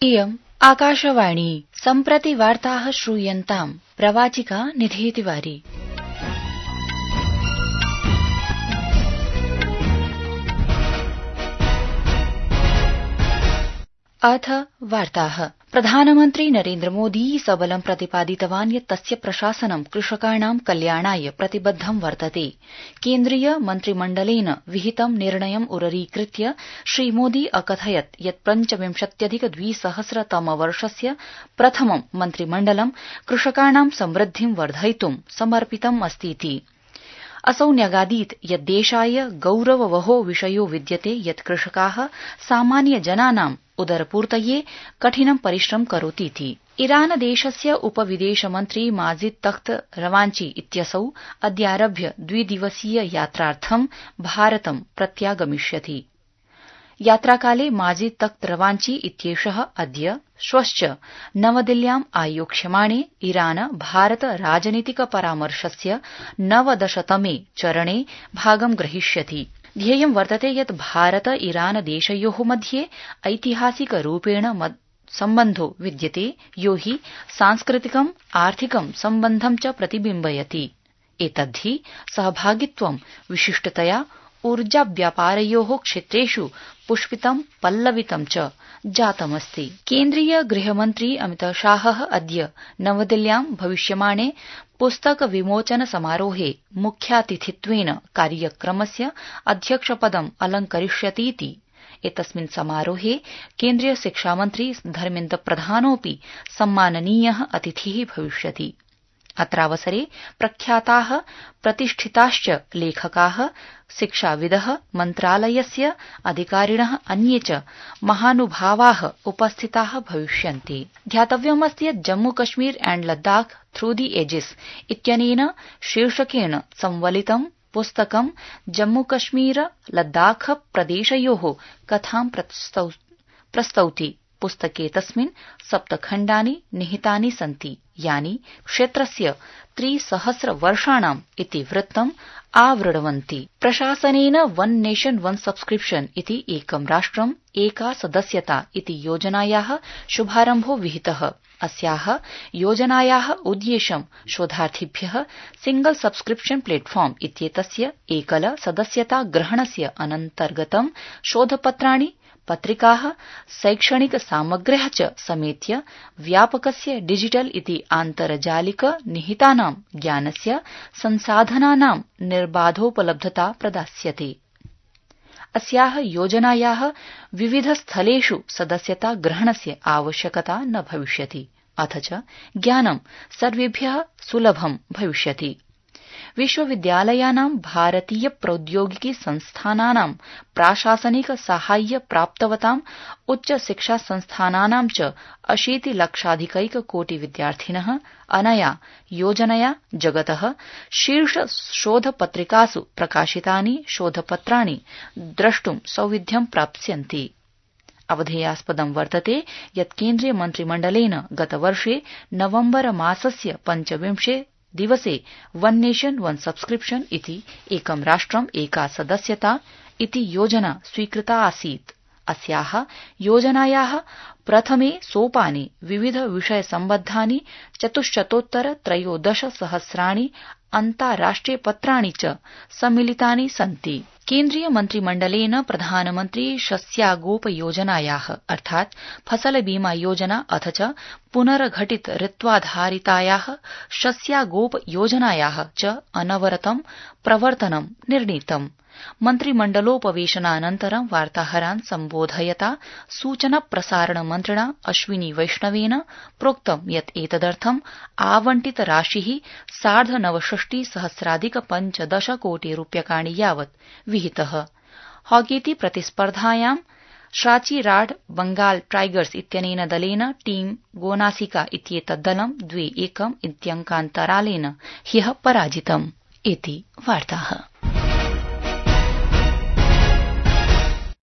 इयम् आकाशवाणी सम्प्रति वार्ताः श्रूयन्ताम् प्रवाचिका निधि तिवारी। अथ वार्ताः। प्रधानमन्त्री नरेन्द्र मोदी सबलं प्रतिपादितवान् यत् तस्य प्रशासनं कृषकाणां कल्याणाय प्रतिबद्धं वर्तते। केन्द्रीय मन्त्रिमण्डलेन विहितं निर्णयम् उररीकृत्य श्रीमोदी अकथयत् यत् 25,2000तमवर्षस्य प्रथमं मन्त्रिमण्डलं कृषकाणां समृद्धिं वर्धयितुं समर्पितम् अस्तीति। असौ न्यगादीत् यत् देशाय गौरववहो विषयो विद्यते यत् कृषकाः सामान्यजनानां उदरपूर्तये कठिनं परिश्रमं करोतीति। ईरान देशस्य उपविदेशमन्त्री माजिद तख्त रवांची इत्यसौ अद्यारभ्य द्विदिवसीय यात्रार्थं भारतं प्रत्यागमिष्यति। यात्राकाले माजिद तख्त रवांची इत्येषः अद्य श्वश्च नवदिल्ल्याम् आयोक्ष्यमाणे ईरान भारत राजनीतिक परामर्शस्य 19तमे चरणे भागं ग्रहीष्यति। ध्येयं वर्तते यत् भारत ईरान देशयोः मध्ये ऐतिहासिक रूपेण सम्बन्धो विद्यते यो हि सांस्कृतिकम् आर्थिकं सम्बन्धं च प्रतिबिम्बयति। एतद्धि सहभागित्वं विशिष्टतया ऊर्जाव्यापारयोः क्षेत्रेषु पुष्पितं पल्लवितं च जातमस्ति। केन्द्रीय गृहमन्त्री अमितशाहः अद्य नवदिल्ल्यां भविष्यमाणे पुस्तक विमोचन समारोहे मुख्यातिथित्वेन कार्यक्रमस्य अध्यक्षपदम् अलंकरिष्यतीति। एतस्मिन् समारोहे केन्द्रीय शिक्षामन्त्री धर्मेन्द्र प्रधानोऽपि सम्माननीयः अतिथिः भविष्यति। अत्रावसरे प्रख्याताः प्रतिष्ठिताश्च लेखकाः शिक्षाविदः मन्त्रालयस्य अधिकारिणः अन्ये च महानुभावाः उपस्थिताः भविष्यन्ति। ध्यातव्यमस्ति यत् Jammu Kashmir and Ladakh through the ages इत्यनेन शीर्षकेण संवलितं पुस्तकं जम्मू कश्मीर लद्दाख प्रदेशयोः कथां प्रस्तौति। पुस्तके तस्मिन् 7 खण्डानि निहितानि सन्ति यानि क्षेत्रस्य 300 वर्षाणाम् इतिवृत्तम् आवृण्वन्ति। प्रशासनेन वन नेशन वन सब्स्क्रिप्शन इति एकं राष्ट्रम् एका सदस्यता इति योजनायाः शुभारम्भो विहितः। अस्याः योजनायाः उद्देश्यं शोधार्थिभ्यः सिंगल सब्स्क्रिप्शन प्लेटफॉर्म इत्येतस्य एकल सदस्यता ग्रहणस्य अनन्तर्गतं शोधपत्राणि पत्रिकाः शैक्षणिक सामग्र्यः च समेत्य व्यापकस्य डिजिटल इति आन्तर्जालिक निहितानां ज्ञानस्य संसाधनानां निर्बाधोपलब्धता प्रदास्यते। अस्याः योजनायाः विविध स्थलेषु सदस्यता ग्रहणस्य आवश्यकता न भविष्यति अथ च ज्ञानं सर्वेभ्यः सुलभं भविष्यति। विश्वविद्यालयानां भारतीय प्रौद्योगिकी संस्थानानां प्राशासनिक साहाय्य प्राप्तवतां उच्च शिक्षा संस्थानानां च 80 लक्षाधिकैक कोटि विद्यार्थिनः अनया योजनया जगतः शीर्ष शोधपत्रिकासु प्रकाशितानि शोधपत्राणि द्रष्टुं सौविध्यं प्राप्स्यन्ति। अवधेयास्पदं वर्तते यत् केन्द्रीय मन्त्रिमण्डलेन गतवर्षे नवम्बर मासस्य 25 दिवसे वन नेशन वन सब्स्क्रिप्शन इति एकं राष्ट्रम् एका सदस्यता इति योजना स्वीकृता आसीत्। अस्याः योजनायाः प्रथमे सोपाने विविध विषय सम्बद्धानि 413 सहस्राणि अन्ताराष्ट्रिय पत्राणि च सम्मिलितानि सन्ति। केन्द्रीय मन्त्रिमण्डलेन प्रधानमन्त्री शस्यागोप योजनायाः अर्थात् फसल बीमा योजना अथ च पुनर्घटित ऋत्वाधारितायाः शस्यागोप योजनायाः च अनवरतं प्रवर्तनं निर्णीतम्। मन्त्रिमण्डलोपवेशनानन्तरं वार्ताहरान् सम्बोधयता सूचना प्रसारण मन्त्रिणा अश्विनी वैष्णवेन प्रोक्तं यत् एतदर्थं आवंटित राशिः 69 सहस्राधिक 15 कोटि रूप्यकाणि यावत् विहितः। हॉकीति प्रतिस्पर्धायां श्राचीराड बंगाल टाइगर्स इत्यनेन दलेन टीम गोनासिका इत्येतत् दलं 2-1 इत्यङ्कान्तरालेन ह्यः पराजितम्। इति वार्ताः।